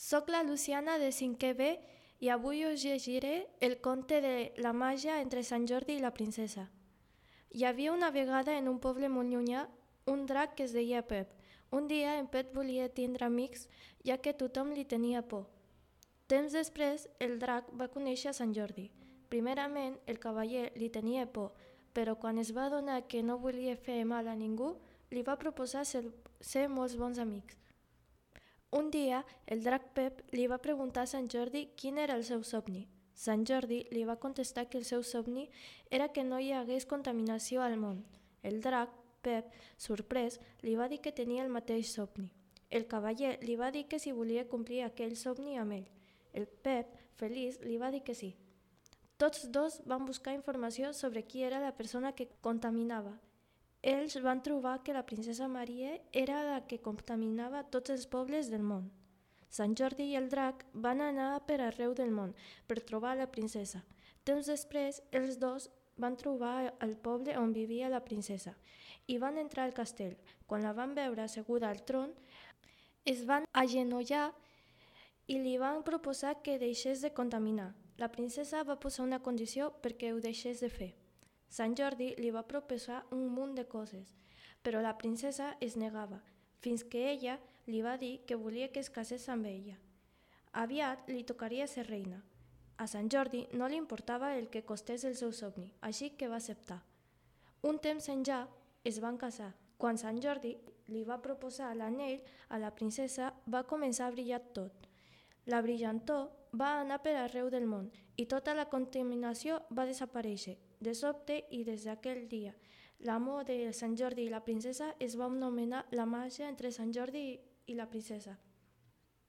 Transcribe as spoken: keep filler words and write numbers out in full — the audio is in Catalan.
Soc la Luciana de cinquè B i avui us llegiré el conte de la màgia entre Sant Jordi i la princesa. Hi havia una vegada en un poble molt llunyà un drac que es deia Pep. Un dia en Pep volia tindre amics, ja que tothom li tenia por. Temps després, el drac va conèixer Sant Jordi. Primerament, el cavaller li tenia por, però quan es va adonar que no volia fer mal a ningú, li va proposar ser, ser molts bons amics. Un dia, el drac Pep li va preguntar a Sant Jordi quin era el seu somni. Sant Jordi li va contestar que el seu somni era que no hi hagués contaminació al món. El drac, Pep, sorprès, li va dir que tenia el mateix somni. El cavaller li va dir que si volia complir aquell somni amb ell. El Pep, feliç, li va dir que sí. Tots dos van buscar informació sobre qui era la persona que contaminava. Ells van trobar que la princesa Maria era la que contaminava tots els pobles del món. Sant Jordi i el drac van anar per arreu del món per trobar la princesa. Temps després, els dos van trobar el poble on vivia la princesa i van entrar al castell. Quan la van veure asseguda al tron, es van agenollar i li van proposar que deixés de contaminar. La princesa va posar una condició perquè ho deixés de fer. Sant Jordi li va proposar un munt de coses, però la princesa es negava, fins que ella li va dir que volia que es casés amb ella. Aviat li tocaria ser reina. A Sant Jordi no li importava el que costés el seu somni, així que va acceptar. Un temps enllà es van casar. Quan Sant Jordi li va proposar l'anell a la princesa, va començar a brillar tot. La brillantor va anar per arreu del món i tota la contaminació va desaparèixer. De sobte i des d'aquell dia, l'amor de Sant Jordi i la princesa es va anomenar la màgia entre Sant Jordi i la princesa.